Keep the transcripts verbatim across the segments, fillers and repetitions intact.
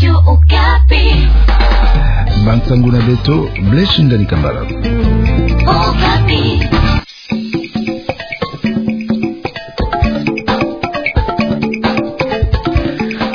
Okapi. Bansango na beto, Blaise Ngani Kambala. Okapi.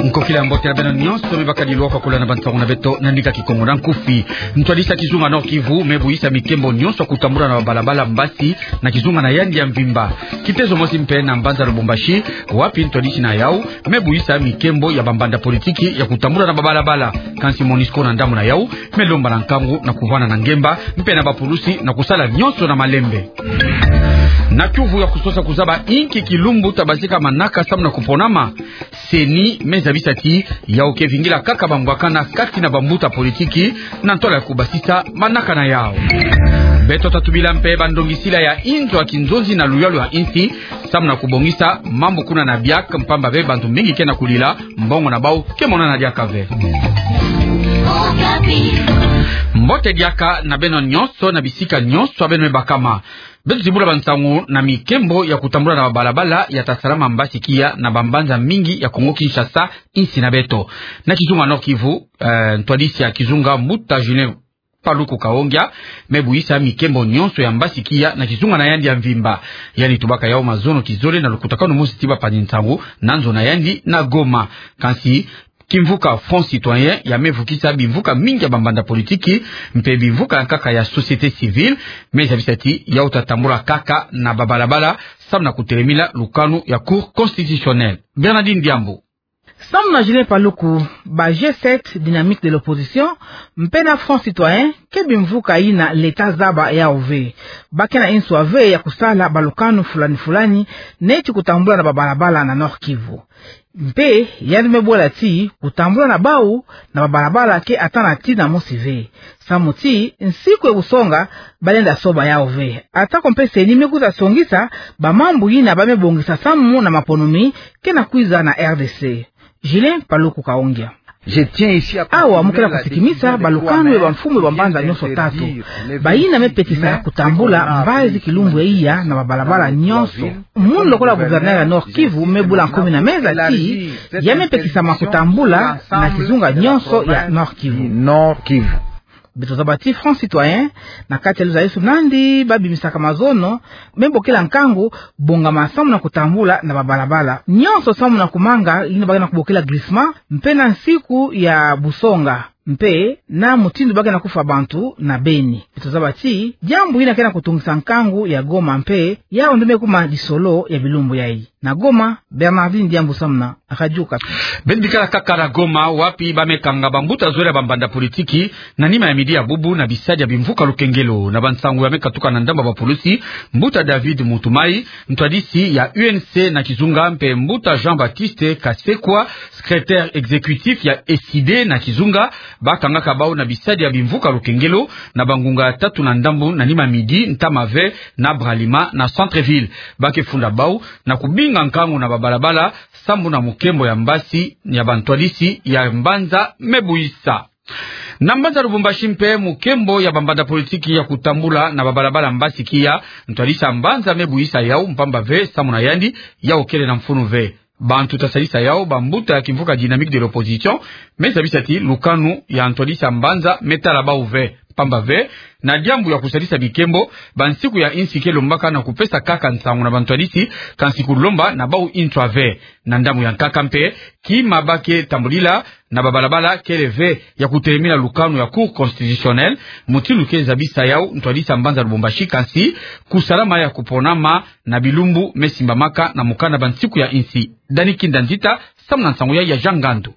Nkokila ya mbote na beno nyonso, me bakadi lwaka kulana bansango na beto na ndinga Kikongo na nkufi. Ntwadisi ya kizunga Nord-Kivu me buyisa mikembo nyonso ya kutambula na babalabala mbasi na kizunga na yandi ya mvimba. Kitezo mosi mpe na mbanza Lubumbashi, wapi ntwadisi na yau me buyisa mikembo ya bambanda politiki ya kutambula na babalabala. Kansi MONUSCO na ndambu na yau me lomba na nkangu na kuvanda na ngemba mpe na bapulusi na kusala nyonso na malembe. Na kiuvu ya kusosa kuzaba inki kilumbu ta bazika manaka samu na kuponama, CENI me zabisa ti yau ke vingila kaka bambwakana kati na bambuta politiki na ntwala ya kubasisa manaka na yau. Beto ta tubila mpe bandongisila ya inzo ya kinzonzi na luyalu ya insi samu na kubongisa mambu kuna na biak, mpamba ve bantu mingi ke na kulila, mbongo na bau ke monana diaka ve. Mbote diaka na beno nyonso na bisika nyonso ya beno me bakama. Beto zimbula bansango na mikembo ya kutambula na babalabala ya ta salama mbasi kiya na bambanza mingi ya Kongo Kinshasa, insi na beto. Na kizunga Nord-Kivu, eh, ntwadisi ya kizunga mbuta Julien Paluku Kahongya me buyisa mikembo nyonso ya mbasi kiya na kizunga na yandi ya mvimba. Yandi tubaka yau mazono kizole na lukutakanu mosi ti bapanzi nsangu na nzo na yandi na Goma. Kansi kimvuka Front Citoyen ya me vukisa bimvuka mingi ya bambanda politiki mpe bimvuka ya nkaka ya société civile, me zabisa ti yau ta tambula kaka na babalabala samu na kutelemila lukanu ya Cour constitutionnelle. Bernardine Diambu. Samu na Julien Paluku, ba G sept, Dynamique de l'opposition, mpe na Front Citoyen ke bimvuka yina l'État zaba yau ve. Ba ke na inswa ve ya kusala balukanu fulani fulani, neti kutambula na babalabala na Nord-Kivu. Mpe yandi me bwela ti kutambula na bau na babalabala ke ata na tina mosi ve. Samu ti nsiku ya busonga balenda soba yau ve. Atako mpe CENI me kwiza songisa bamambu yina ba me bongisa samu na maponami ke na kwiza na R D C. Julien Paluku Kahongya. Awa, mu ke na kusikimisa balukanu ya bamfumu ya bambanza nyonso tatu, bayina me pekisa kutambula mbazi kilumbu ya iya na babalabala nyonso. Munu lokola gouverneur ya Nord-Kivu me bula nkomi na meza ti ya me pekisa ma kutambula na kizunga nyonso ya Nord-Kivu. Beto zaba ti Front Citoyen, na kati ya luzalisu nandi ba bimisaka mazono, me bokila nkangu bongama samu na kutambula na babalabala nyonso samu na kumanga yina ba ke na kubokila glissement, mpe na nsiku ya busonga, mpe na mutindu ba ke na kufwa bantu na Beni. Beto zaba ti diambu yina ke na kutungisa nkangu ya Goma mpe yau nde me kuma lisolo ya bilumbu yayi. Na Goma, Bernardine Diambu samu na Radio Okapi. Beno bikala kaka na Goma, wapi ba me kanga bambuta zole ya bambanda politiki na nima ya midi ya bubu na bisadi ya bimvuka lukengelo. Na bansangu ya me katuka na ndambu ya bapulusi, mbuta David Mutumai, ntwadisi ya U N C na kizunga, mpe mbuta Jean-Baptiste Kasekwa, secrétaire exécutif ya ECIDE na kizunga, ba kangaka bau na bisadi ya bimvuka lukengelo na bangunga tatu na ndambu na nima midi, ntama ve na Bralima na centre-ville. Ba ke funda bau na kubinga nkangu na babalabala sambu na mukembo ya mbasi ya bantwadisi ya mbanza me buyisa. Na mbanza Lubumbashi mpe, mukembo ya bambanda politiki ya kutambula na babalabala mbasi kiya, ntwadisi ya mbanza me buyisa yau, mpamba ve samu na yandi yau kele na mfunu ve. Bantu ta sadisa yau, bambuta ya kimvuka Dynamique de l'opposition, me zabisa ti lukanu ya ntwadisi ya mbanza me tala bau ve. Mpamba ve, na diambu ya kusadisa bikembo, bansiku ya insi ke lombaka na kupesa kaka nsangu na bantwadisi, kansi kulomba na bau inswa ve. Na ndambu ya nkaka mpe, kima ba ke tambulila na babalabala kele ve ya kutelemila lukanu ya Cour constitutionnelle, mutindu ke zabisa yau ntwadisi ya mbanza Lubumbashi, kansi kusalama ya kuponama na bilumbu me simbamaka na mukanda Bansiku ya Insi. Dani Kinda Nzita samu na nsangu ya, ya Jean Ngandu.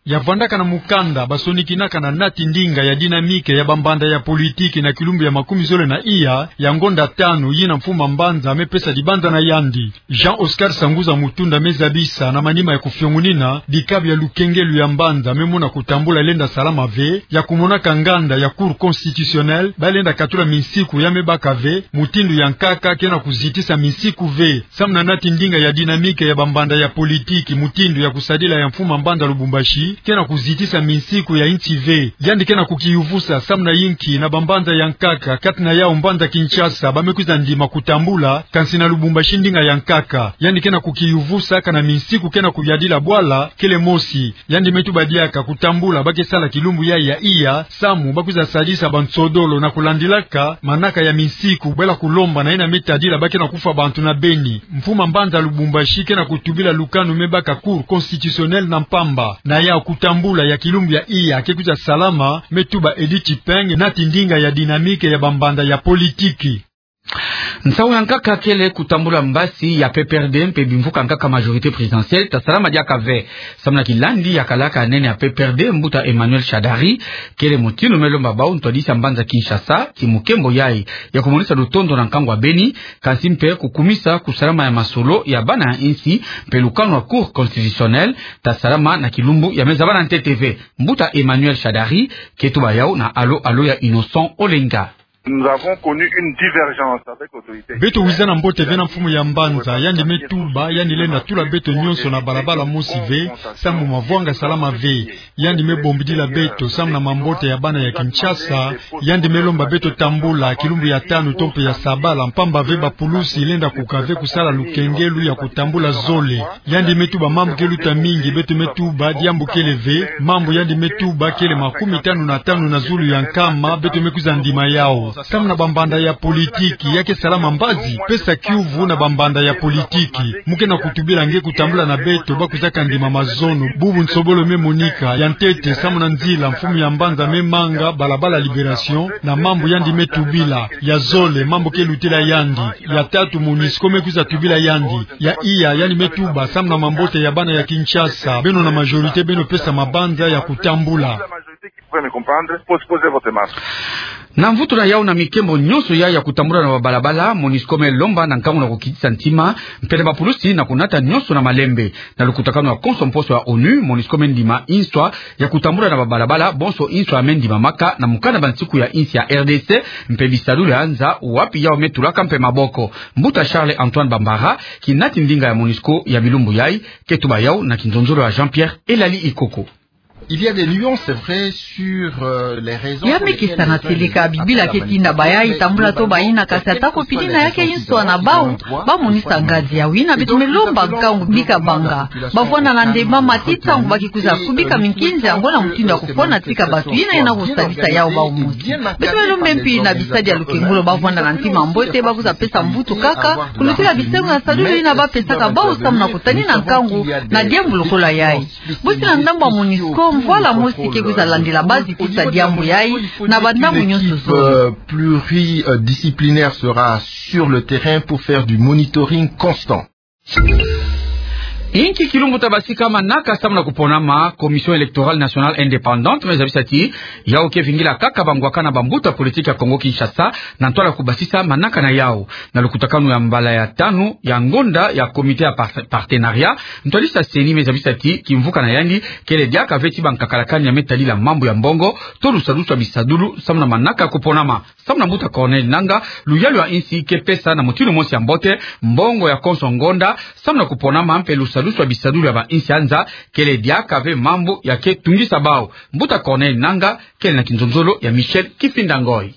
Ya vandaka na mukanda basonikinaka na nati ndinga ya dynamique ya bambanda ya politiki na kilumbu ya makumi zole na iya, ya ngonda tanu yina mfumu a mbanza me pesa dibanza na yandi. Jean Oscar Sanguza Mutunda me zabisa na manima ya kufiongunina dikabu ya lukengelo ya mbanza me mona kutambula lenda salama ve, ya kumonaka nganda ya Cour constitutionnelle ba lenda katula minsiku ya me baka ve, mutindu ya nkaka ke na kuzitisa minsiku ve. Samu na nati ndinga ya dynamique ya bambanda ya politiki, mutindu ya kusadila ya mfumu a mbanza Lubumbashi, ke na kuzitisa minsiku ya insi ve. Yandi ke na kukiyuvusa samu na yinki na bambanza ya nkaka, kati na yau mbanza Kinshasa, ba me kwiza ndima kutambula, kansi na Lubumbashi ndinga ya nkaka. Yandi ke na kukiyuvusa kana minsiku ke na kuyadila bwala, kele mosi. Yandi me tuba diaka kutambula ba ke sala kilumbu ya, ya iya, samu ba kwiza sadisa bansodolo na kulandilaka manaka ya minsiku, bwela kulomba na yina me tadila ba ke na kufwa bantu na Beni. Mfumu a mbanza Lubumbashi ke na kutubila lukanu me baka Cour constitutionnelle na mpamba. Na ya kutambula ya kilumbu ya iya ke kwiza salama, me tuba Edith Peng, nati ndinga ya dynamique ya bambanza ya politiki. Nsawu ya nkaka kele kutambula mbasi ya P P R D mpe bimvuka nkaka majorité présidentielle, ta salama diaka ve. Samu na kilandi ya kalaka nene ya P P R D, mbuta Emmanuel Shadary, kele motinu me lomba bau ntwadisi a mbanza Kinshasa, ki mukembo yayi ya kumonisa lutondo na nkangu a Beni, kansi mpe kukumisa kusalama ya masolo ya bana ya insi, mpe lukanu a Cour constitutionnelle ta salama na kilumbu ya me zabana ntete ve. Mbuta Emmanuel Shadary ke tuba yau na alo alo ya Innocent Olenga. Nous avons connu une divergence avec l'autorité. Beto wiza na mbote ve na mfumu ya mbanza, yandi me tuba yandi lenda tula beto nyonso na balabala mosi ve, samu mavwanga salama ve. Yandi me bombidila beto samu na mambote ya bana ya Kinshasa. Yandi me lomba beto tambula kilumbu ya tanu to mpe ya sabala, mpamba ve bapulusi lenda kuka ve kusala lukengelu ya kutambula zole. Yandi me tuba mambu ke luta mingi, beto me tuba diambu kele ve. Mambu yandi me tuba kele makumi tanu na tanu na zulu ya nkama, beto me kwiza ndima yau. Samu na bambanza ya politiki, ya ke salama mbazi, pesa kiuvu na bambanza ya politiki. Mu ke na kutubila nge kutambula na beto ba kwizaka ndima mazono. Bubu nsobolo me monika ya ntete samu na nzila mfumu ya mbanza me manga, balabala Libération, na mambu yandi me tubila. Ya zole, mambu ke lutela yandi. Ya tatu, MONUSCO me kwiza tubila yandi. Ya iya, yandi me tuba samu na mambote ya bana ya Kinshasa. Beno na majorité, beno pesa mabanza ya kutambula. Na mvutu na yau na mikembo nyonso ya, ya kutambula na babalabala, MONUSCO me lomba na nkangu na kukitisa ntima, mpe na bapulusi na kunata nyonso na malembe. Na lukutakanu ya konso mposo ya ONU, MONUSCO me ndima inswa ya kutambula na babalabala bonso inswa ya me ndimamaka na mukanda bansiku ya insi ya R D C, mpe bisadulu ya nza wapi yau me tulaka mpe maboko. Mbuta Charles Antoine Bambara, kinati ndinga ya MONUSCO ya bilumbu yayi, ke tuba yau na kinzonzolo ya Jean-Pierre Elali Ikoko. Il y a des nuances, c'est vrai, sur, euh, les raisons. Ya mekesana seleka, bibila ke tinda bayayi tambula to bayina, kasi atako pidina ya ke inswa na bau, ba monisa ngazi ya wina. Beto me lomba nkangu bika banga. Bavwanda na ndemba mati ntangu ba ke kwiza kubika minkinzi ya ngo na mutindu ya kufwana tika batu yina yena kusadisa yau bau mosi. Beto me lomba mpi na bisadi ya lukengolo bavwanda na ntima mbote ba kwiza pesa mvutu kaka, kulutila bisengo ya sadulu yina ba pesaka bau samu na kutanina nkangu na diambu lokola yayi. Bosi na ndambu ya MONUSCO, mvwala mosi ke kwiza landila bazi kisa diambu yayi na bandambu nyonso zo. Euh, pluridisciplinaire sera sur le terrain pour faire du monitoring constant. Inki kilumbu ta basika manaka samu na kuponama Commission électorale nationale indépendante, me zabisa ti yau ke vingila kaka bangwakana bambuta politique ya Congo Kinshasa, na ntwala kubasisa manaka na yau. Na lukutakanu ya mbala ya tanu ya ngonda ya comité ya par-, partenariat, ntwadisi ya CENI me zabisa ti kimvuka na yandi kele diaka ve ti bankakalakani ya me tadila mambu ya mbongo to lusadusu ya bisadulu samu na manaka kuponama. Samu na mbuta Corneille Nangaa, luyalu ya insi ke pesa na mutindu mosi ya mbote mbongo ya konso ngonda samu na kuponama, mpe lusadusu ya bisadulu ya bainsi ya nza kele diaka ve mambu ya ke tungisa bau. Mbuta Corneille Nangaa kele na kinzonzolo ya Michel Kifinda Ngoi.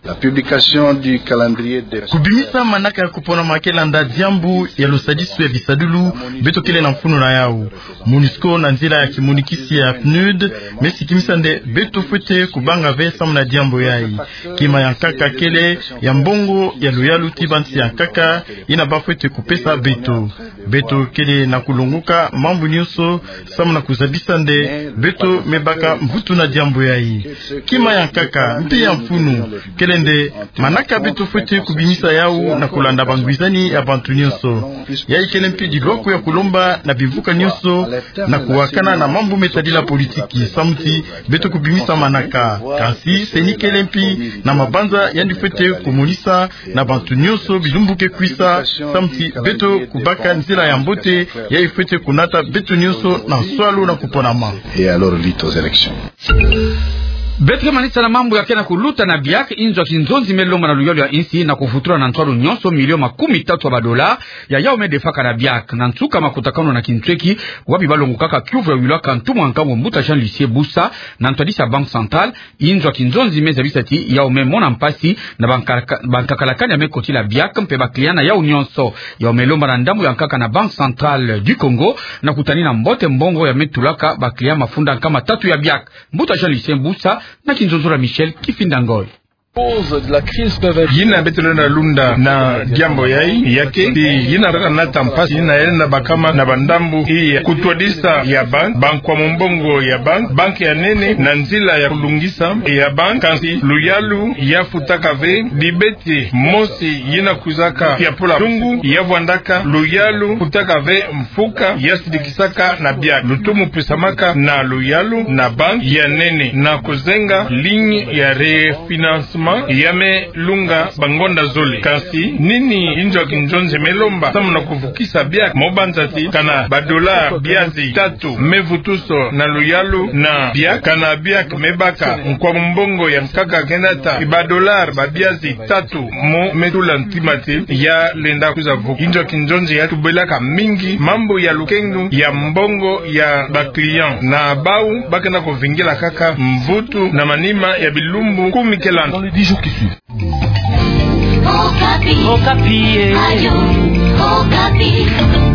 La publication du calendrier de... Kubimisa manaka ya kuponama ke landa diambu ya lusadisu ya bisadulu beto kele na mfunu na yau. MONUSCO na nzila ya kimonikisi ya PNUD me sikimisa nde beto fwete kubanga ve samu na diambu yayi. Kima ya nkaka kele ya mbongo ya luyalu ti bansi ya nkaka yina ba fwete kupesa beto. Beto kele na kulongoka mambu nyonso samu na kuzabisa nde beto me baka mvutu na diambu yayi. Kima ya nkaka mpe ya mfunu kele nde manaka beto fwete kubimisa yau na kulanda bangwizani ya bantu nyonso. Yayi kele mpe dilwaku ya kulomba na bimvuka nyonso na kuwakana na mambu me tadila politiki samu ti beto kubimisa manaka. Kansi CENI kele mpe na mabanza yandi fwete kumonisa na bantu nyonso bilumbu ke kwisa samu ti beto kubaka nzila ya mbote yayi fwete kunata beto nyonso na nswalu na kuponama. Et alors, lutte aux élections. Beto ke manisa na mambu ya ke na kuluta na biak. Inzo ya kinzonzi me lomba na luyalu ya insi na kuvutula na nswalu nyonso milio makumi tatu ya badola ya yau me defaka na biak. Na nsuka makutakanu na kintweki, wapi balongokaka kiuvu ya wilaka ntumwa nkangu mbuta Jean Lucier Busa na ntwadisi ya Banque Centrale, inzo ya kinzonzi me zabisa ti yau me mona mpasi na banka-, bankakalakani ya me kotila biak mpe ba client na yau nyonso. Yau me lomba na ndambu ya nkaka na Banque Centrale du Congo na kutani na mbote mbongo ya me tulaka ba client mafunda nkama tatu ya biak. Mbuta Jean Lucier Busa na kinzonzolo ya Michel Kifinda Ngoy. Yina beto lenda lunda na diambu yayi, ya ke ti yina kanata mpasi yina yalenda bakama na bandambu ya kutwadisa ya banque, bankwamu mbongo ya banque, banque ya nene na nzila ya kulungisa ya banque, kansi luyalu ya futaka ve bibete mosi yina kwizaka ya pola ntungu, ya vwandaka luyalu futaka ve mfuka ya sidikisaka na biak. Lutumu pesamaka na luyalu na banque ya nene na kuzenga ligne ya refinancement ya me lunga bangonda zole. Kansi nini inzo ya kinzonzi me lomba samu na kuvukisa biak? Mo banza ti kana ba dollars biazi tatu me vutuso na luyalu na biak, kana biak me baka nkwamu mbongo ya nkaka kenata ba dollars ba biazi tatu mo me tula ntima ti ya lenda kwiza vuka. Inzo ya kinzonzi ya tubelaka mingi mambu ya lukengelo ya mbongo ya ba client, na bau ba kena kuvingila kaka mvutu na manima ya bilumbu kumi ke landa. Dans les dix jours qui suivent. Okapi. Okapi, eh. Radio Okapi.